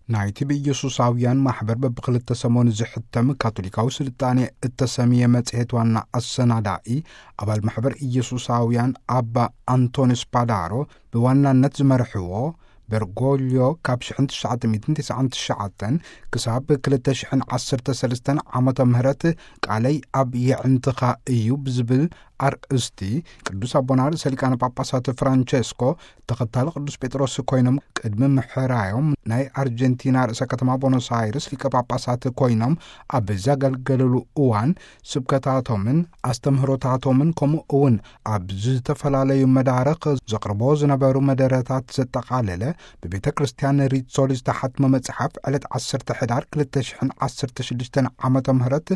ናይቲ ብኢየሱሳውያን ማሕበር በብክልተ ሰሞን ዝሕተም ካቶሊካዊ ስልጣኔ እተሰምየ መጽሔት ዋና ኣሰናዳኢ፣ ኣባል ማሕበር ኢየሱሳውያን ኣባ ኣንቶኒስ ፓዳሮ ብዋናነት ዝመርሕዎ፣ በርጎልዮ ካብ ሽሕን ትሽዓተ ሚእትን ተስዓን ትሽዓተን ክሳብ ክልተ ሽሕን ዓሰርተ ሰለስተን ዓመተ ምህረት ቃለይ ኣብ የዕንትኻ እዩ ብዝብል ኣርእስቲ፣ ቅዱስ ኣቦና ርእሰ ሊቃነ ጳጳሳት ፍራንቸስኮ ተኸታሊ ቅዱስ ጴጥሮስ ኮይኖም ቅድሚ ምሕራዮም፣ ናይ ኣርጀንቲና ርእሰ ከተማ ቦኖስ ኣይርስ ሊቀ ጳጳሳት ኮይኖም ኣብ ዘገልገሉሉ እዋን፣ ስብከታቶምን ኣስተምህሮታቶምን፣ ከምኡ እውን ኣብ ዝተፈላለዩ መዳርኽ ዘቕርቦ ዝነበሩ መደረታት ዘጠቓለለ፣ ብቤተ ክርስቲያን ሪት ሶል ዝተሓትመ መጽሓፍ፣ ዕለት ዓሰርተ ሕዳር ክልተ ሽሕን ዓሰርተ ሽዱሽተን ዓመተ ምህረት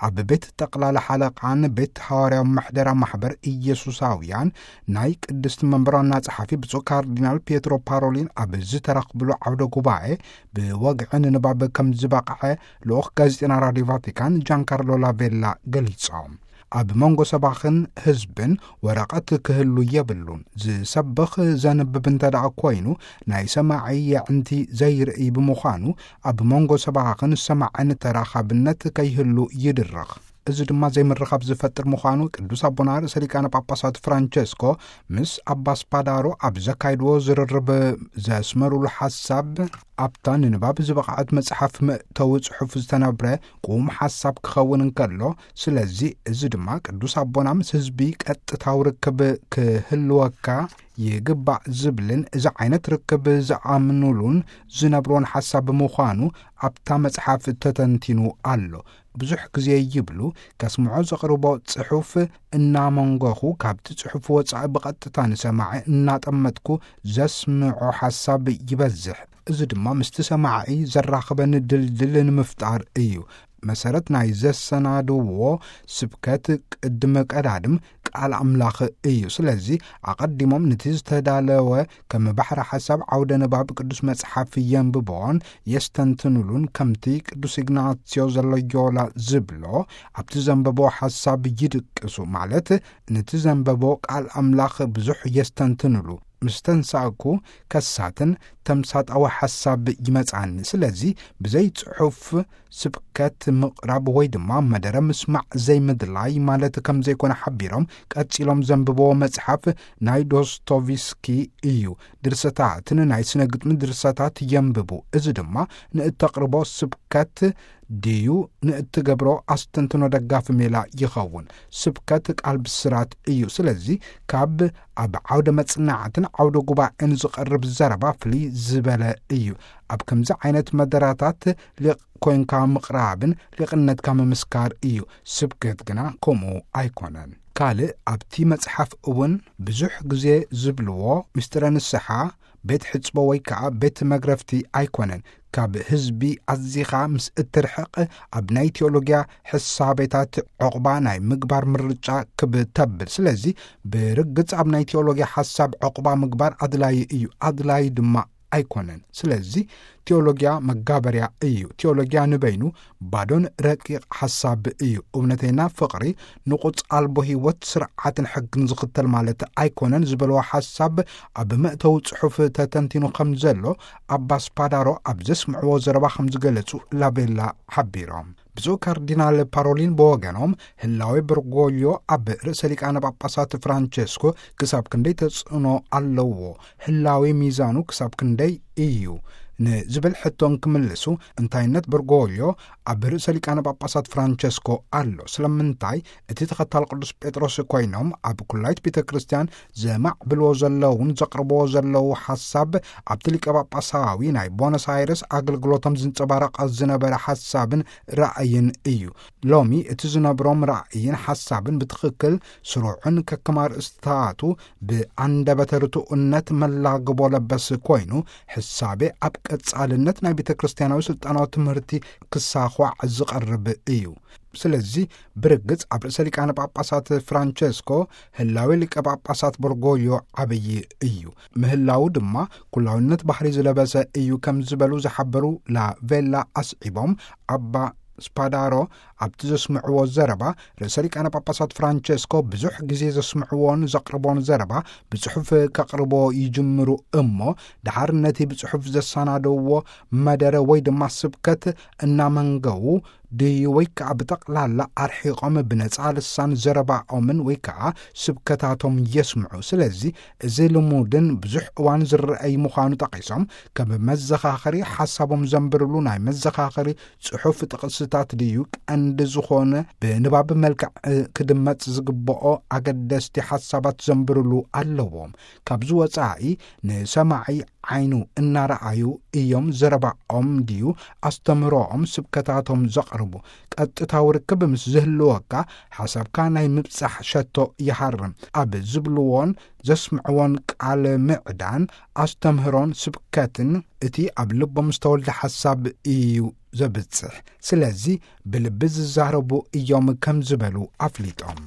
ኣብ ቤት ጠቕላላ ሓለቓን ቤት ሃዋርያዊ ምሕደራ ማሕበር ኢየሱሳውያን ናይ ቅድስቲ መንበር ዋና ጸሓፊ ብፁዕ ካርዲናል ፒየትሮ ፓሮሊን ኣብ ዝተረኽብሉ ዓውደ ጉባኤ፣ ብወግዒ ንንባብ ከም ዝበቕዐ ልኡኽ ጋዜጠና ራዲዮ ቫቲካን ጃንካርሎ ላቬላ ገሊጾም። ኣብ መንጎ ሰባኽን ህዝብን ወረቐት ክህሉ የብሉን። ዝሰብኽ ዘንብብ እንተ ደኣ ኮይኑ፣ ናይ ሰማዒ የዕንቲ ዘይርኢ ብምዃኑ፣ ኣብ መንጎ ሰባኽን ሰማዕን ተራኻብነት ከይህሉ ይድረኽ። እዚ ድማ ዘይምርኻብ ዝፈጥር ምዃኑ ቅዱስ ኣቦና ርእሰ ሊቃነ ጳጳሳት ፍራንቸስኮ ምስ ኣባ ስፓዳሮ ኣብ ዘካይድዎ ዝርርብ ዘስመሩሉ ሓሳብ፣ ኣብታ ንንባብ ዝበቕዐት መጽሓፍ መእተዊ ጽሑፍ ዝተነብረ ቁም ሓሳብ ክኸውን እንከሎ፣ ስለዚ እዚ ድማ ቅዱስ ኣቦና ምስ ህዝቢ ቀጥታዊ ርክብ ክህልወካ ይግባእ ዝብልን እዚ ዓይነት ርክብ ዝኣምኑሉን ዝነብሮን ሓሳብ ምዃኑ ኣብታ መጽሓፍ ተተንቲኑ ኣሎ። ብዙሕ ግዜ ይብሉ፣ ከስምዖ ዘቕርቦ ጽሑፍ እናመንጎኹ፣ ካብቲ ጽሑፍ ወጻኢ ብቐጥታ ንሰማዒ እናጠመጥኩ ዘስምዖ ሓሳብ ይበዝሕ። እዚ ድማ ምስቲ ሰማዒ ዘራኽበኒ ድልድል ንምፍጣር እዩ። መሰረት ናይ ዘሰናድዎ ስብከት ቅድሚ ቀዳድም ቃል ኣምላኽ እዩ። ስለዚ ኣቐዲሞም ነቲ ዝተዳለወ ከም ባሕሪ ሓሳብ ዓውደ ንባብ ቅዱስ መጽሓፍ የንብቦን የስተንትኑሉን፣ ከምቲ ቅዱስ ኢግናስዮ ዘሎዮላ ዝብሎ፣ ኣብቲ ዘንበቦ ሓሳብ ይድቅሱ፣ ማለት ነቲ ዘንበቦ ቃል ኣምላኽ ብዙሕ የስተንትኑሉ። ምስ ተንሳእኩ ከሳትን ተምሳጣዊ ሓሳብ ይመጽኣኒ። ስለዚ ብዘይ ጽሑፍ ስብከት ምቕራብ ወይ ድማ መደረ ምስማዕ ዘይምድላይ ማለት ከም ዘይኮነ ሓቢሮም፣ ቀጺሎም ዘንብብዎ መጽሓፍ ናይ ዶስቶቭስኪ እዩ። ድርሰታትን ናይ ስነ ግጥሚ ድርሰታት የንብቡ። እዚ ድማ ንእተቕርቦ ስብከት ድዩ ንእትገብሮ ኣስተንትኖ ደጋፊ ሜላ ይኸውን። ስብከት ቃል ብስራት እዩ። ስለዚ ካብ ኣብ ዓውደ መጽናዕትን ዓውደ ጉባኤን ዝቐርብ ዘረባ ፍልይ ዝበለ እዩ። ኣብ ከምዚ ዓይነት መደራታት ሊቕ ኮንካ ምቕራብን ሊቕነትካ ምምስካር እዩ። ስብከት ግና ከምኡ ኣይኮነን። ካልእ ኣብቲ መጽሓፍ እውን ብዙሕ ግዜ ዝብልዎ፣ ምስጢረ ንስሓ ቤት ሕጽቦ ወይ ከኣ ቤት መግረፍቲ ኣይኮነን። ካብ ህዝቢ ኣዚኻ ምስ እትርሕቕ፣ ኣብ ናይ ቴዎሎጊያ ሕሳቤታት ዕቑባ ናይ ምግባር ምርጫ ክብ ተብል። ስለዚ ብርግጽ ኣብ ናይ ቴዎሎጊያ ሓሳብ ዕቑባ ምግባር ኣድላዪ እዩ፣ ኣድላዪ ድማ ኣይኮነን። ስለዚ ቴዎሎጊያ መጋበርያ እዩ። ቴዎሎጊያ ንበይኑ ባዶን ረቂቕ ሓሳብ እዩ። እውነተኛ ፍቕሪ ንቑጽ ኣልቦ ህይወት፣ ስርዓትን ሕግን ዝኽተል ማለት ኣይኮነን ዝበልዎ ሓሳብ ኣብ መእተዊ ጽሑፍ ተተንቲኑ ከም ዘሎ ኣባ ስፓዳሮ ኣብ ዘስምዕዎ ዘረባ ከም ዝገለጹ ላቤላ ሓቢሮም። ብፁዕ ካርዲናል ፓሮሊን ብወገኖም፣ ህላዌ በርጎልዮ ኣብ ርእሰ ሊቃነ ጳጳሳት ፍራንቸስኮ ክሳብ ክንደይ ተጽዕኖ ኣለዎ? ህላዌ ሚዛኑ ክሳብ ክንደይ እዩ? ንዝብል ሕቶ እንክምልሱ፣ እንታይነት በርጎልዮ ኣብ ርእሰ ሊቃነ ጳጳሳት ፍራንቸስኮ ኣሎ። ስለምንታይ እቲ ተኸታል ቅዱስ ጴጥሮስ ኮይኖም ኣብ ኩላይት ቤተ ክርስቲያን ዘማዕብልዎ ዘለውን ዘቕርብዎ ዘለዉ ሓሳብ ኣብቲ ሊቀ ጳጳሳዊ ናይ ቦነስ ኣይረስ ኣገልግሎቶም ዝንጸባረቕ ዝነበረ ሓሳብን ራእይን እዩ። ሎሚ እቲ ዝነብሮም ራእይን ሓሳብን ብትኽክል ስሩዕን ከከም ኣርእስታቱ ብኣንደበተ ርቱዕነት መላግቦ ለበስ ኮይኑ፣ ሕሳቤ ኣብ ቀጻልነት ናይ ቤተ ክርስቲያናዊ ስልጣናዊ ትምህርቲ ክሳዃዕ ዝቐርብ እዩ። ስለዚ ብርግጽ ኣብ ርእሰ ሊቃነ ጳጳሳት ፍራንቸስኮ ህላዌ ሊቀ ጳጳሳት በርጎልዮ ዓብዪ እዩ። ምህላዉ ድማ ኩላውነት ባህሪ ዝለበሰ እዩ ከም ዝበሉ ዝሓበሩ ላቬላ ኣስዒቦም፣ ኣባ ስፓዳሮ ኣብቲ ዘስምዕዎ ዘረባ፣ ርእሰ ሊቃነ ጳጳሳት ፍራንቸስኮ ብዙሕ ግዜ ዘስምዕዎን ዘቕርቦን ዘረባ ብጽሑፍ ከቕርቦ ይጅምሩ እሞ፣ ድሓር ነቲ ብጽሑፍ ዘሰናደውዎ መደረ ወይ ድማ ስብከት እናመንገዉ ድዩ ወይ ከዓ ብጠቕላላ ኣርሒቖም ብነጻ ልሳን ዘረባኦምን ወይ ከዓ ስብከታቶም የስምዑ። ስለዚ እዚ ልሙድን ብዙሕ እዋን ዝረአይ ምዃኑ ጠቒሶም፣ ከም መዘኻኸሪ ሓሳቦም ዘንብርሉ ናይ መዘኻኸሪ ጽሑፍ ጥቕስታት ድዩ ቀንዲ ዝኾነ ብንባብ መልክዕ ክድመጽ ዝግብኦ ኣገደስቲ ሓሳባት ዘንብርሉ ኣለዎም። ካብዚ ወጻኢ ንሰማዒ ዓይኑ እናረኣዩ እዮም ዘረባኦም ድዩ ኣስተምህሮኦም ስብከታቶም ዘቕርቡ። ቀጥታዊ ርክብ ምስ ዝህልወካ ሓሳብካ ናይ ምብጻሕ ሸቶ ይሃርም። ኣብ ዝብልዎን ዘስምዕዎን ቃል ምዕዳን ኣስተምህሮን ስብከትን እቲ ኣብ ልቦም ዝተወልደ ሓሳብ እዩ ዘብጽሕ። ስለዚ ብልቢ ዝዛረቡ እዮም ከም ዝበሉ ኣፍሊጦም።